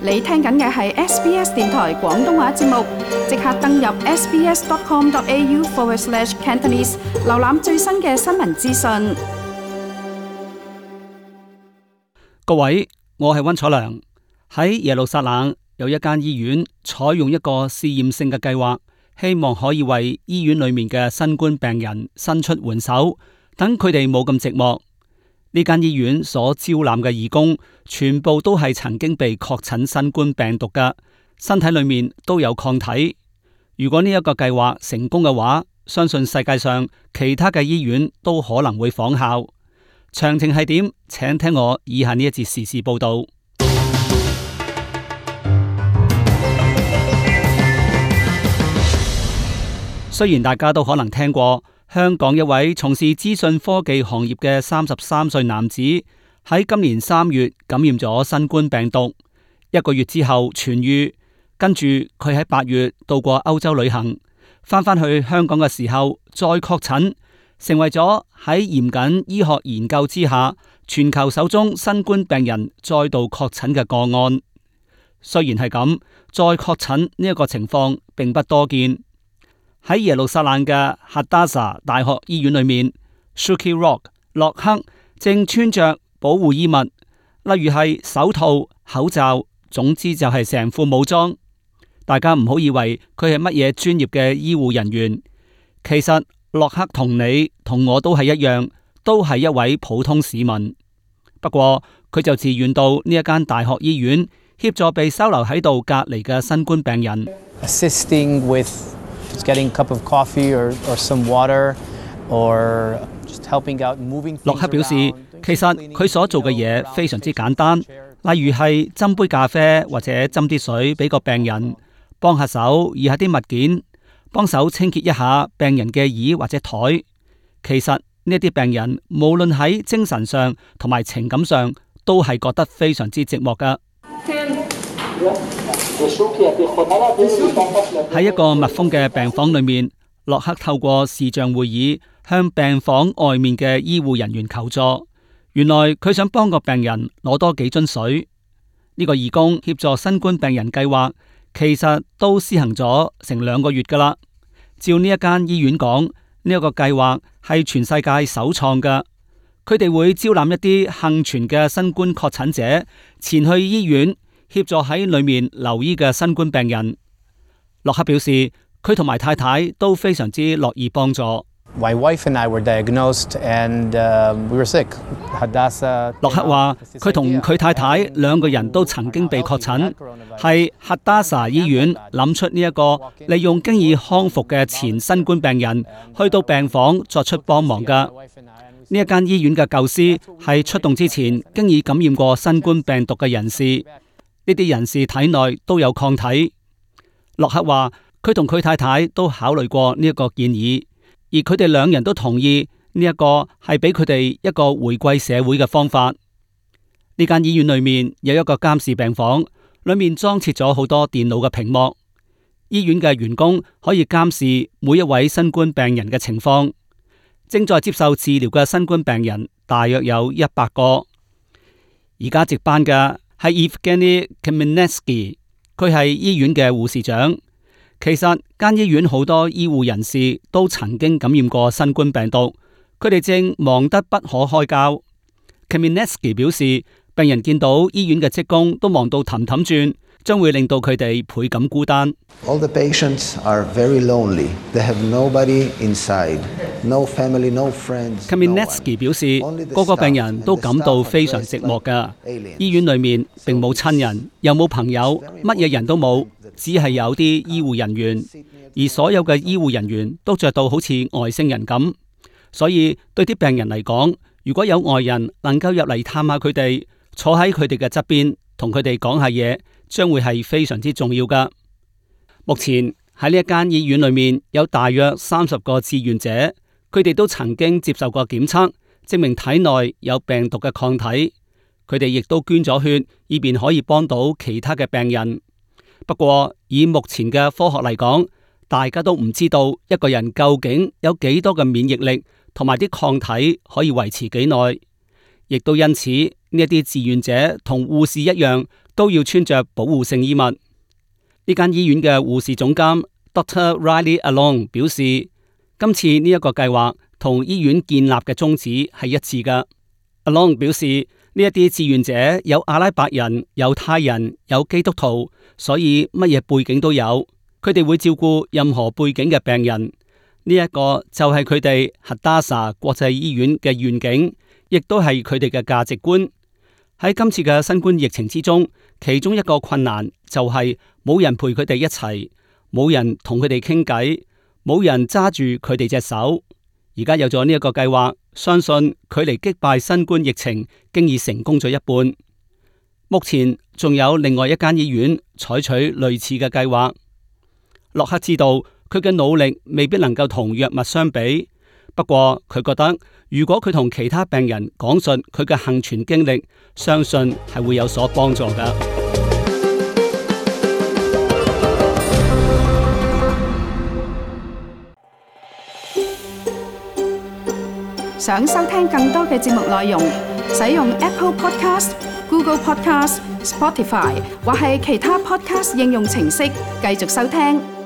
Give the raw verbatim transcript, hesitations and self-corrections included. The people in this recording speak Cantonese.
你聽緊嘅係 S B S 電台廣東話節目，即刻登入 sbs.com.au forward slash Cantonese， 瀏覽最新嘅新聞資訊。各位，我係溫楚良。喺耶路撒冷有一間醫院採用一個試驗性嘅計劃，希望可以為醫院裏面嘅新冠病人伸出援手，等佢哋冇咁寂寞。呢間醫院所招攬嘅義工，全部都係曾經被確診新冠病毒嘅，身體裏面都有抗體。如果呢一個計劃成功嘅話，相信世界上其他嘅醫院都可能會仿效。詳情係點？請聽我以下呢一節時事報道。雖然大家都可能聽過，香港一位從事資訊科技行業嘅三十三歲男子喺今年三月感染咗新冠病毒，一個月之後痊癒，跟住佢喺八月到過歐洲旅行，翻返去香港嘅時候再確診，成為咗喺嚴謹醫學研究之下全球首宗新冠病人再度確診嘅個案。雖然係咁，再確診呢一個情況並不多見。喺耶路撒冷嘅 Hadassah 大學醫院裏面 Shuki Rock 洛克正穿着保護衣物，例如係手套、口罩，總之就係成副武裝。大家唔好以為佢係乜嘢專業嘅醫護人員，其實洛克同你同我都係一樣，都係一位普通市民。不過佢就自願到呢一間大學醫院協助被收留喺度隔離嘅新冠病人。Assisting with getting a cup of coffee or, or some water, or just helping out moving things around. 洛克表示，其實佢所做嘅嘢非常之簡單，例如係斟杯咖啡或者斟啲水俾個病人，幫下手移下啲物件，幫手清潔一下病人嘅椅或者台。其實呢啲病人無論喺精神上同埋情感上，都係覺得非常之寂寞噶。喺一個密封嘅病房裏面，洛克透過視像會議向病房外面嘅醫護人員求助。原來佢想幫個病人攞多幾樽水。呢個義工協助新冠病人計劃，其實都施行咗成兩個月噶啦。照呢一間醫院講，呢一個計劃係全世界首創噶。佢哋會招攬一啲幸存嘅新冠確診者前去醫院，協助喺裏面留醫嘅新冠病人。洛克表示，佢同埋太太都非常之樂意幫助。My wife and I were diagnosed and uh, we were sick. Hadassah. 洛克話，佢同佢太太兩個人都曾經被確診，係 Hadassah 醫院諗出呢一個利用經已康復嘅前新冠病人去到病房作出幫忙噶。呢一間醫院嘅構思係出動之前經已感染過新冠病毒嘅人士，呢啲人士體內都有抗體。洛克話，佢同佢太太都考慮過呢一個建議，而佢哋兩人都同意呢一個係俾佢哋一個回歸社會嘅方法。呢間醫院裏面有一個監視病房，裏面裝設咗好多電腦嘅屏幕，醫院嘅員工可以監視每一位新冠病人嘅情況。正在接受治療嘅新冠病人大約有一百個。而家值班嘅係 Evgeny Kamenetsky， 佢係醫院嘅護士長。其實間醫院好多醫護人士都曾經感染過新冠病毒，佢哋正忙得不可開交。Kamenetsky 表示，病人見到醫院嘅職工都忙到氹氹轉，將會令到佢哋倍感孤單。All the patients are very lonely. They have nobody inside, no family, no friends. Kamenetsky 表示，個個病人都感到非常寂寞㗎。醫院裏面並冇親人，又冇朋友，乜嘢人都冇，只係有啲醫護人員，而所有嘅醫護人員都着到好似外星人咁。所以對啲病人嚟講，如果有外人能夠入嚟探下佢哋，坐喺佢哋嘅側邊，同佢哋講下嘢，將會係非常之重要噶。目前喺呢一間醫院裏面有大約三十個志願者，佢哋都曾經接受過檢測，證明體內有病毒嘅抗體。佢哋亦都捐咗血，以便可以幫到其他嘅病人。不過以目前嘅科學嚟講，大家都唔知道一個人究竟有幾多嘅免疫力，同埋啲抗體可以維持幾耐。亦都因此呢一啲志願者同護士一樣，都要穿着保護性衣物。呢間醫院嘅護士總監 Doctor Riley Along 表示，今次呢一個計劃同醫院建立嘅宗旨係一致嘅。Along 表示，呢一啲志願者有阿拉伯人、猶太人、有基督徒，所以乜嘢背景都有。佢哋會照顧任何背景嘅病人。呢一個就係佢哋 Hadassah 國際醫院嘅願景，亦都係佢哋嘅價值觀。喺今次嘅新冠疫情之中，其中一個困難就係冇人陪佢哋一齊，冇人同佢哋傾偈，冇人揸住佢哋隻手。而家有咗呢一個計劃，相信距離擊敗新冠疫情經已成功咗一半。目前仲有另外一間醫院採取類似嘅計劃。洛克知道佢嘅努力未必能夠同藥物相比，不過佢覺得如果佢同其他病人講述佢嘅幸存經歷，相信係會有所幫助㗎。想收聽更多嘅節目內容，使用 Apple Podcast、Google Podcast、Spotify 或係其他 Podcast 應用程式繼續收聽。